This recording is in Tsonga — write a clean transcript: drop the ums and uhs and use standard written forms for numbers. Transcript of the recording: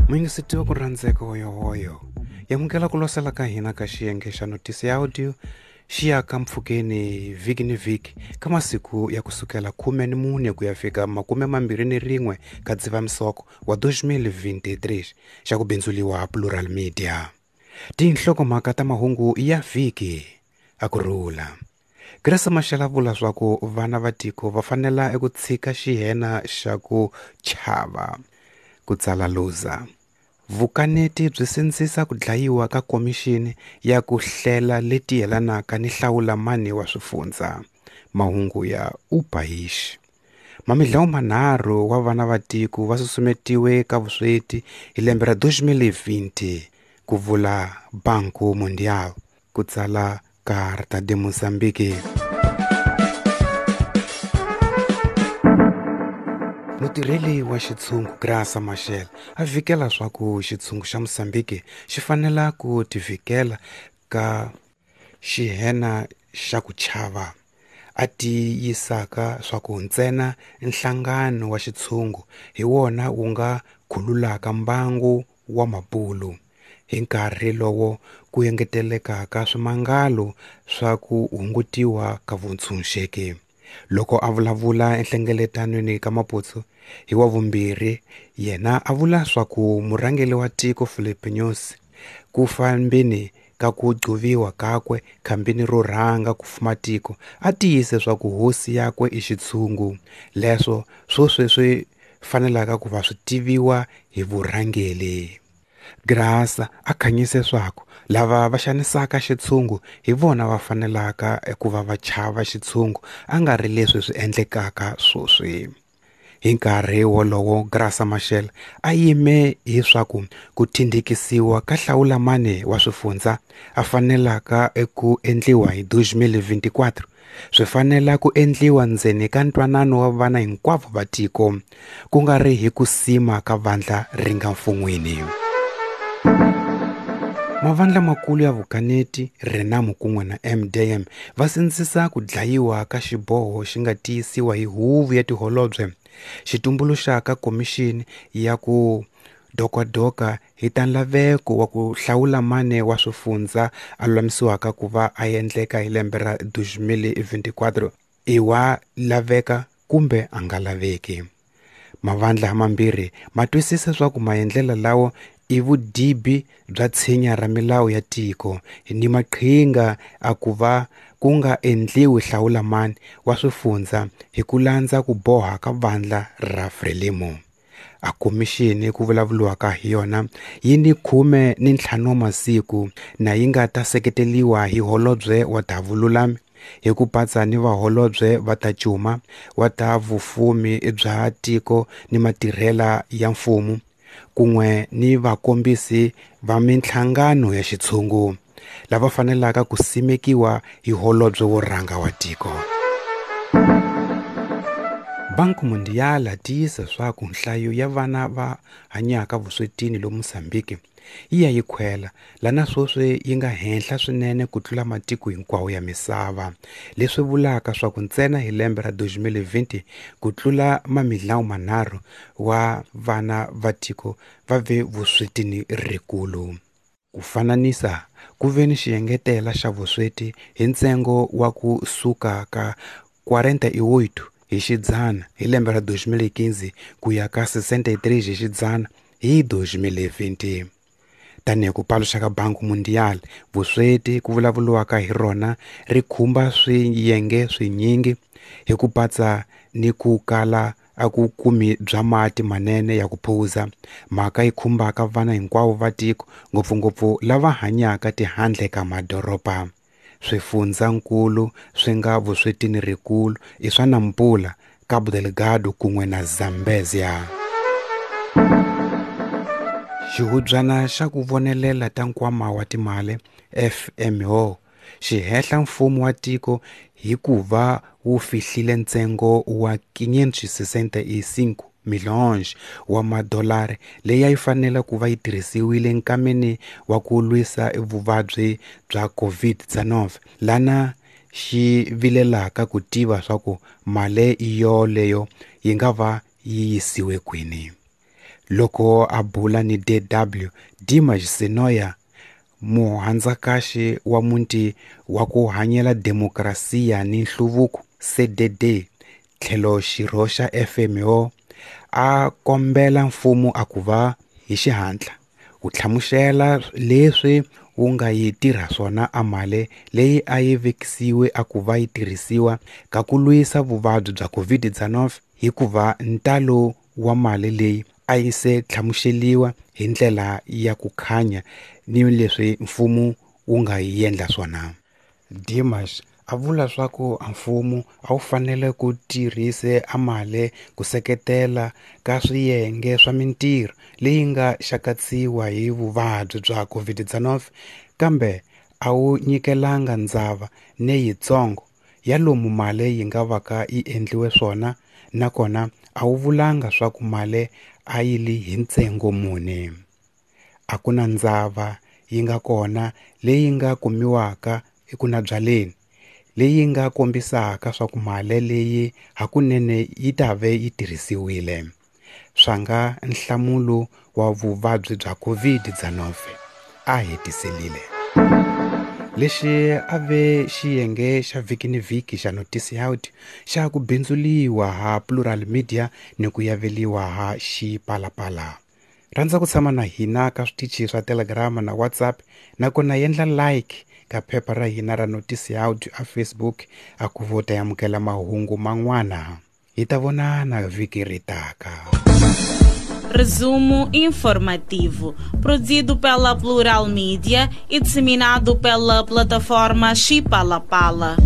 Muyingiseti wa ku rhandzeka hoyohoyo yamukela ku losela ka hina ka xiyenge xa notisi ya audio xi ya ka mpfhukeni vhiki ni vhiki ka masiku ya kusukela 14 ku ya fika 21 ka Dzivamisoko wa 2023 xa ku bindzuliwa Plural Media. Tinhlokomhaka ta mahungu ya vhiki a ku rhula. Graça Machel a vula swa ku vana va tiko va fanela eku tshika xihena xa ku chava ku tsala Luza. Vukaneti byi sindzisa ku dlayiwa ka komixini ya ku hlela leti yelanaka ni hlawula mani wa swifundza. Mahungu ya Upaish. Mamidlawu manharhu wa vana va tiko va susumetiwe ka vusweti hi lembe ra 2020 ku vula Banco Mundial ku tsala Carta de Mozambique. Mutirheli wa xitshungu Graça Machel a vikela swa ku xitshungu xa Mozambique xi fanela ku tivikela ka xihena xa ku chava a tiyisaka swa ku ntsena nhlangano wa xitshungu hi wona wu nga khululaka mbangu wa mabulu hi nkarhi lowo ku engetelekaka swimangalo swa ku hungutiwa ka vuntshunxeki. Loko a vulavula enhlengeletanweni ka Maputo hi wa vumbirhi yena a vula swa ku murhangeri wa tiko Filipe Nyusi ku fambeni ka ku gcuviwa kakwe khambini ro rhanga ku fuma tiko a tiyise swa ku hosi yakwe i xitshungu leswo swo sweswi fanelaka ku va swi tiviwa hi vurhangeri. Graça a khanyise swaku lava va xanisaka xitshungu hi vona va fanelaka ku va va chava xitshungu a nga ri leswi swi endlekaka sweswi. Hi nkarhi wolowo Graça Machel a yime hi swaku ku thindhikisiwa ka hlawula mani wa swifundza a fanelaka eku endliwa hi 2024 swi fanela ku endliwa ndzeni ka ntwanano wa vana hinkwavo va tiko ku nga ri hi ku sima ka vandla ri nga mfun'wini. Mavandla makulu ya vukaneti Renamo kun'we na MDM va sindzisa ku dlayiwa ka xiboho xi nga tiyisiwa hi huvo ya tiholobye xi tumbuluxaka komixini ya ku dokadoka hi ta nlaveko wa ku hlawula mane wa swifundza a lulamisiwaka ku va a endleka hi lembe ra 2024 i wa laveka kumbe a nga laveki. Mavandla mambirhi ma twisisa swa ku maendlelo lawa i vudibi bya tshinya ra milawu ya tiko ni maqhinga a ku va ku nga endliwi hlawula mani wa swifundza hi ku landza ku boha ka vandla ra Frelimo. A komixini ku vulavuriwaka hi yona yi ni 15 masiku na yi nga ta seketeliwa hi holobye wa ta vululami hi ku patsa ni vaholobye va ta cuma wa ta vufumi bya tiko ni matirhela ya mfumo kun'we ni vakombisi va minhlangano ya xitshungu lava fanelaka ku simekiwa hi holobye wo rhanga wa tiko. Banco Mundial a tiyisa swaku nhlayo ya vana va hanyaka vuswetini lomu Mozambique yi ya yi khwela lana sweswi yi nga henhla swinene ku tlula matiko hinkwawo ya misava leswi vulaka swaku ntsena hi lembe ra 2020 ku tlula mamidlawu manharhu wa vana va tiko va ve vuswetini rikulu. Ku fananisa ku ve ni xiengetela xa vusweti hi ntsengo wa ku suka ka 48 hi xidzana hi lembe ra 2015 ku ya ka 63 hi xidzana hi 2020. Tanihi ku paluxa ka Banco Mundial vusweti ku vulavuriwaka hi rona ri khumba swiyenge swinyingi hi ku patsa ni ku kala a ku kumi bya mati manene ya ku phuza mhaka yi khumbaka vana hinkwavo va tiko ngopfungopfu lava hanyaka tihandle ka madoroba. Swifundzankulu swi nga vuswetini rikulu i swa Nampula, Cabo Delgado kun'we na Zambezia. Xihubyana xa ku vonelela ta nkwama wa timali FMO xi hehla mfumo wa tiko hi ku va wu fihlile ntsengo wa 565 milhões wa madolari leyi a yi fanele ku va yi tirhisiwile nkameni wa ku lwisa vuvabyi bya COVID-19 lana xi vilelaka ku tiva swa ku mali yoleyo yi nga va yi yisiwe kwini. Loko a bula ni DW, Dimas Senoia, muhandzakaxi wa muti wa ku hanyela demokrasiya ni nhluvuko CDD tlhelo xirho xa FMO, a kombela mfumo a ku va hi xihatla wu hlamusela leswi wu nga yi tirha swona a mali leyi a yi vekisiwe a ku va yi tirhisiwa ka ku lwisa vuvabyi bya COVID-19, hikuva ntalo wa mali leyi a yi se hlamuseriwa hi ndlela ya ku khanya ni leswi mfumo wu nga yi endla swona. Dimas a vula swa ku mfumo a wu fanele ku tirhise a mali ku seketela ka swiyenge swa mintirho leyi nga xakatsiwa hi vuvabyi bya COVID-19, kambe a wu nyikelanga ndzava neyitsongo ya lomu mali yi nga va ka yi endliwe swona, nakona a wu vulanga swa ku mali a yi li hi ntsengo muni. A ku na ndzava yi nga kona leyi nga kumiwaka ekunabyaleni leyi nga kombisaka swa ku mali leyi hakunene yi ta ve yi tirhisiwile. Swa nga nhlamulo wa vuvabyi bya COVID-19, a hetiselile. Lexi a ve xiyenge xa vhiki ni vhiki xa Notice Out xa ku bindzuliwa ha Plural Media ni ku yaveliwa ha Xipalapala. Rhandza ku tshama na hina ka switichi swa Telegram na WhatsApp, nakona endla like ka phepha ra hina ra Notice Out a Facebook a ku vo ta amukela mahungu man'wana. Hi ta vonana vhiki ri taka. Resumo informativo, produzido pela Plural Mídia e disseminado pela plataforma Xipalapala.